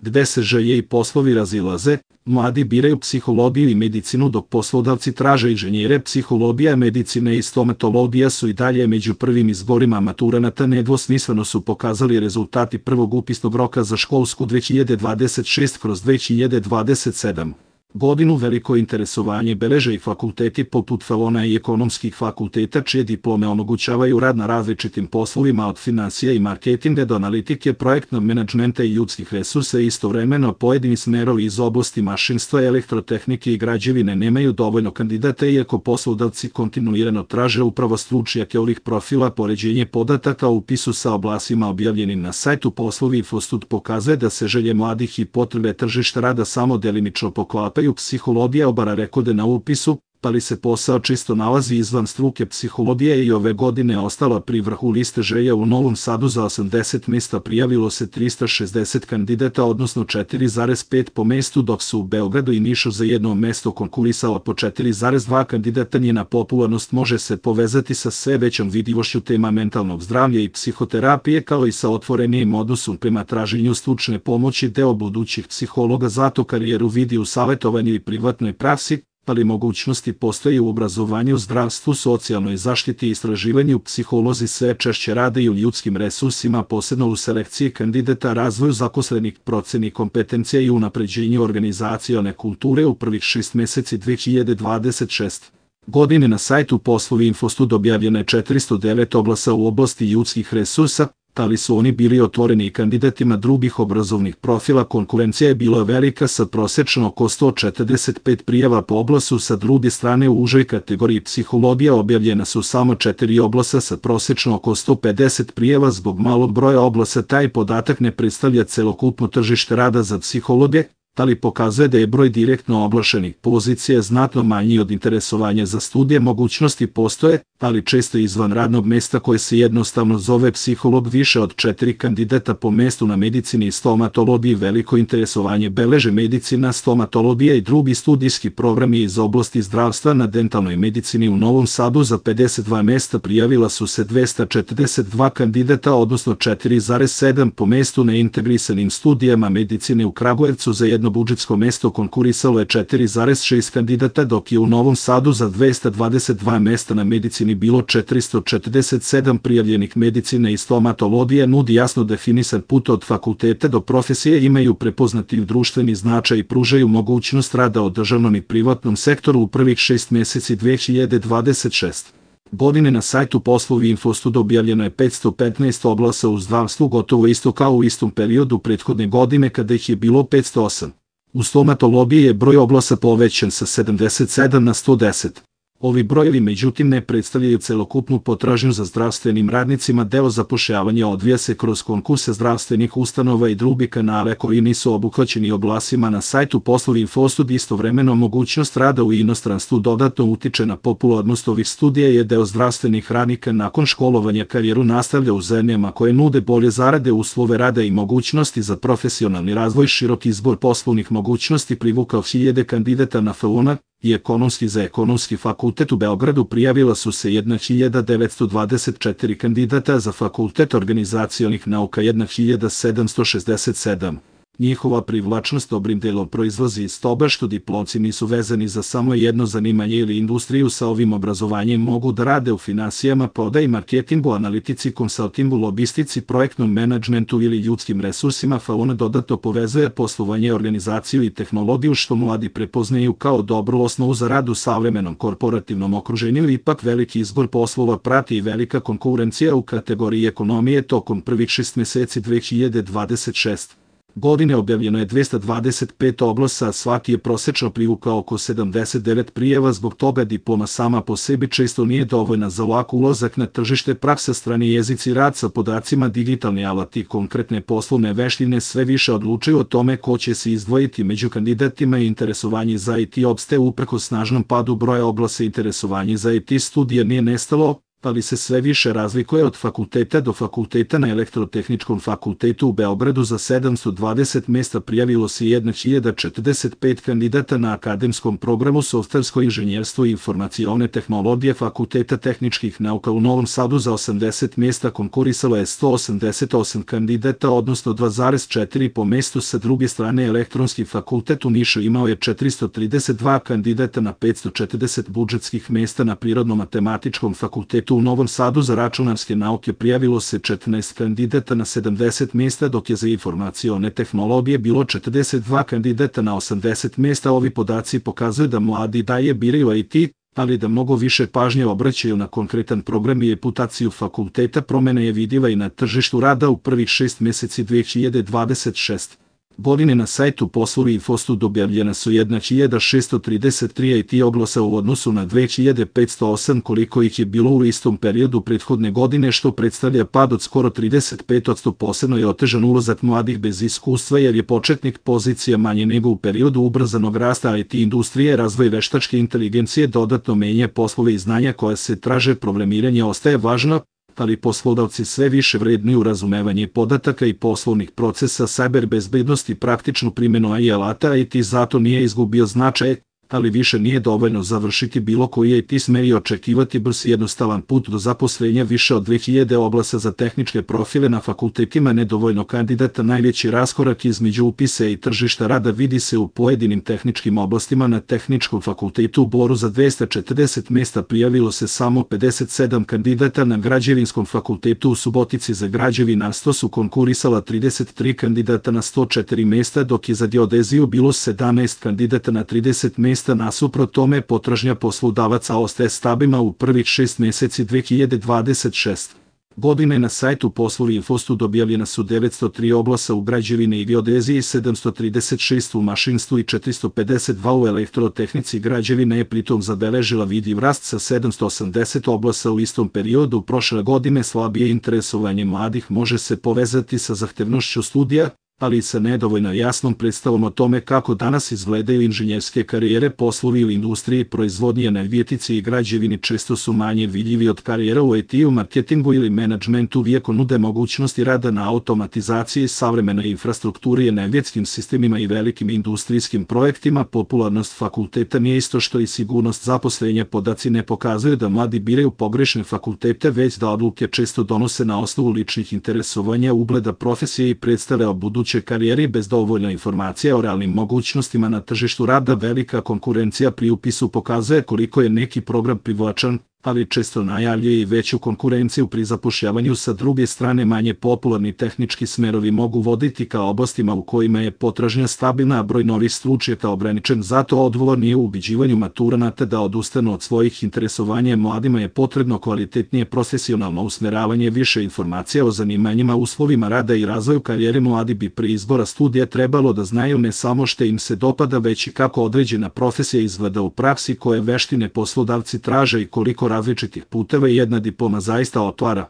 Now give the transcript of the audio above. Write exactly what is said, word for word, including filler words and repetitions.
gde se želje i poslovi razilaze, mladi biraju psihologiju i medicinu dok poslodavci traže inženjere. Psihologija, medicine i stomatologija su i dalje među prvim izborima maturanata. Nedvosmisleno su pokazali rezultati prvog upisnog roka za školsku dve hiljade dvadeset šest kroz dve hiljade dvadeset sedam. Godinu veliko interesovanje beleže i fakulteti poput Falona i ekonomskih fakulteta, čije diplome omogućavaju rad na različitim poslovima od finansija i marketinga do analitike, projektnog menadžmenta i ljudskih resursa. Istovremeno pojedini smerovi iz oblasti mašinstva, elektrotehnike i građevine nemaju dovoljno kandidata, iako poslodavci kontinuirano traže upravo stručnjake ovih profila. Poređenje podataka o upisu sa oblasima objavljenim na sajtu Poslovi Infostud pokazuje da se želje mladih i potrebe tržišta rada samo delimično poklapaju. Psihologija obara rekorde na upisu, pa li se posao čisto nalazi izvan struke. Psihologija je i ove godine ostala pri vrhu liste želja. U Novom Sadu za osamdeset mesta prijavilo se trista šezdeset kandidata, odnosno četiri zarez pet po mestu, dok su u Beogradu i Nišu za jedno mesto konkurisalo po četiri zarez dva kandidata. Njena popularnost može se povezati sa sve većom vidljivošću tema mentalnog zdravlja i psihoterapije, kao i sa otvorenijim odnosom prema traženju stručne pomoći. Deo budućih psihologa zato karijeru vidi u savjetovanju i privatnoj praksi, ali mogućnosti postoje u obrazovanju, zdravstvu, socijalnoj zaštiti i istraživanju. Psiholozi sve češće rade i u ljudskim resursima, posebno u selekciji kandidata, razvoju zaposlenih, proceni kompetencija i unapređenju organizacione kulture. U prvih šest meseci dve hiljade dvadeset šeste. godine na sajtu Poslovi Infostud objavljeno je četiristo devet oglasa u oblasti ljudskih resursa, ali su oni bili otvoreni i kandidatima drugih obrazovnih profila. Konkurencija je bila velika, sa prosečno oko sto četrdeset pet prijava po oglasu. Sa druge strane, u užoj kategoriji psihologija objavljena su samo četiri oglasa sa prosečno oko sto pedeset prijava. Zbog malog broja oglasa taj podatak ne predstavlja celokupno tržište rada za psihologe, ali pokazuje da je broj direktno oglašenih pozicija znatno manji od interesovanja za studije. Mogućnosti postoje, ali često izvan radnog mesta koje se jednostavno zove psiholog. Više od četiri kandidata po mestu na medicini i stomatologiji. Veliko interesovanje beleže medicina, stomatologija i drugi studijski programi iz oblasti zdravstva. Na dentalnoj medicini u Novom Sadu za pedeset dva mesta prijavila su se dvesta četrdeset dva kandidata, odnosno četiri zarez sedam po mestu. Na integrisanim studijama medicine u Kragujevcu za jedno budžetsko mesto konkurisalo je četiri zarez šest kandidata, dok je u Novom Sadu za dvesta dvadeset dva mesta na medicini bilo četiristo četrdeset sedam prijavljenih. Medicina i stomatologija nudi jasno definisan put od fakulteta do profesije, imaju prepoznativ društveni značaj i pružaju mogućnost rada u državnom i privatnom sektoru. U prvih šest meseci dve hiljade dvadeset šeste. godine na sajtu Poslovi Infostud objavljeno je petsto petnaest oglasa u zdravstvu, gotovo isto kao u istom periodu prethodne godine kada ih je bilo petsto osam. U stomatologiji je broj oglasa povećan sa sedamdeset sedam na sto deset. Ovi brojevi međutim ne predstavljaju celokupnu potražnju za zdravstvenim radnicima. Deo zapošljavanja odvija se kroz konkurse zdravstvenih ustanova i druge kanale koji nisu obuhvaćeni oglasima na sajtu Poslovi Infostud. Istovremeno, mogućnost rada u inostranstvu dodatno utiče na popularnost ovih studija, je deo zdravstvenih radnika nakon školovanja karijeru nastavlja u zemljama koje nude bolje zarade, uslove rada i mogućnosti za profesionalni razvoj. Širok izbor poslovnih mogućnosti privukao hiljade kandidata. Na Faluna i ekonomski za ekonomski fakultet u Beogradu prijavila su se jedna hiljada devetsto dvadeset četiri kandidata, za fakultet organizacionih nauka jedna hiljada sedamsto šezdeset sedam. Njihova privlačnost dobrim delom proizlazi iz toga što diplomci nisu vezani za samo jedno zanimanje ili industriju. Sa ovim obrazovanjem mogu da rade u finansijama, prodaji, marketingu, analitici, konsaltingu, lobistici, projektnom menadžmentu ili ljudskim resursima. Faluna dodatno povezuje poslovanje, organizaciju i tehnologiju, što mladi prepoznaju kao dobru osnovu za rad u savremenom korporativnom okruženju. Ipak veliki izbor poslova prati i velika konkurencija u kategoriji ekonomije. Tokom prvih šest meseci dve hiljade dvadeset šeste. godine objavljeno je dvesta dvadeset pet oglasa, a svaki je prosečno privukao oko sedamdeset devet prijava. Zbog toga diploma sama po sebi često nije dovoljna za lak ulazak na tržište. Praksa, strani jezici, rad sa podacima, digitalni alati i konkretne poslovne veštine sve više odlučuju o tome ko će se izdvojiti među kandidatima. I interesovanje za I T opstaje uprkos snažnom padu broja oglasa. Interesovanje za I T studije nije nestalo, ali se sve više razlikuje od fakulteta do fakulteta. Na Elektrotehničkom fakultetu u Beogradu za sedamsto dvadeset mesta prijavilo se jedna hiljada četrdeset pet kandidata, na akademskom programu Softversko inženjerstvo i informacione tehnologije Fakulteta tehničkih nauka u Novom Sadu za osamdeset mesta konkurisalo je sto osamdeset osam kandidata, odnosno dva zarez četiri po mestu. Sa druge strane, Elektronski fakultet u Nišu imao je četiristo trideset dva kandidata na petsto četrdeset budžetskih mesta. Na Prirodno-matematičkom fakultetu u Novom Sadu za računarske nauke prijavilo se četrnaest kandidata na sedamdeset mesta, dok je za informacione tehnologije bilo četrdeset dva kandidata na osamdeset mesta. Ovi podaci pokazuju da mladi dalje biraju I T, ali da mnogo više pažnje obraćaju na konkretan program i reputaciju fakulteta. Promena je vidljiva i na tržištu rada u prvih šest meseci dve hiljade dvadeset šeste. godine. Na sajtu Poslovi i Fostud objavljena su jedna hiljada šesto trideset tri I T oglasa u odnosu na dve hiljade petsto osam, koliko ih je bilo u istom periodu prethodne godine, što predstavlja pad od skoro trideset pet posto. Posebno je otežan ulazak mladih bez iskustva, jer je početnik pozicija manje nego u periodu ubrzanog rasta I T industrije. Razvoj veštačke inteligencije dodatno menja poslove i znanja koja se traže. Programiranje ostaje važno, ali poslodavci sve više vrednuju razumevanje podataka i poslovnih procesa, cyber bezbednost i praktičnu primjenu A I alata. I T zato nije izgubio značaj, ali više nije dovoljno završiti bilo koji I T smer i očekivati brz i jednostavan put do zaposlenja. Više od dve hiljade oglasa za tehničke profile na fakultetima, nedovoljno kandidata. Najveći raskorak između upisa i tržišta rada vidi se u pojedinim tehničkim oblastima. Na Tehničkom fakultetu u Boru za dvesta četrdeset mesta prijavilo se samo pedeset sedam kandidata. Na Građevinskom fakultetu u Subotici za građevinarstvo su konkurisala trideset tri kandidata na sto četiri mesta, dok je za geodeziju bilo sedamnaest kandidata na trideset mesta. Nasuprot tome, potražnja poslodavaca ostaje stabilna u prvih šest meseci dve hiljade dvadeset šeste. godine. Na sajtu Poslovi i Fostud objavljena su devetsto tri oglasa u građevini i geodeziji, sedamsto trideset šest u mašinstvu i četiristo pedeset dva u elektrotehnici. Građevina je pritom zabeležila vidljiv rast sa sedamsto osamdeset oglasa u istom periodu prošle godine. Slabije interesovanje mladih može se povezati sa zahtevnošću studija, ali i sa nedovoljno jasnom predstavom o tome kako danas izgledaju inženjerske karijere. Poslovi ili industriji proizvodnje, energetici i građevini često su manje vidljivi od karijera u I T-u, marketingu ili menadžmentu. Iako nude mogućnosti rada na automatizaciji, savremenoj infrastrukturi, energetskim sistemima i velikim industrijskim projektima, popularnost fakulteta nije isto što i sigurnost zaposlenja. Podaci ne pokazuju da mladi biraju pogrešne fakultete, već da odluke često donose na osnovu ličnih interesovanja, ugleda profesije i predstave o budućnosti karijeri. Bez dovoljno informacija o realnim mogućnostima na tržištu rada, velika konkurencija pri upisu pokazuje koliko je neki program privlačan, ali često najavljuje i veću konkurenciju pri zapošljavanju. Sa druge strane, manje popularni tehnički smerovi mogu voditi ka oblastima u kojima je potražnja stabilna, a broj novih stručnjaka ograničen. Zato odgovor nije u ubeđivanju maturanata da odustanu od svojih interesovanja. Mladima je potrebno kvalitetnije profesionalno usmeravanje. Više informacija o zanimanjima, uslovima rada i razvoju karijere. Mladi bi pri izbora studija trebalo da znaju ne samo što im se dopada, već i kako određena profesija izgleda u praksi, koje veštine poslodavci traže i koliko različitih puteva jedna diploma zaista otvara.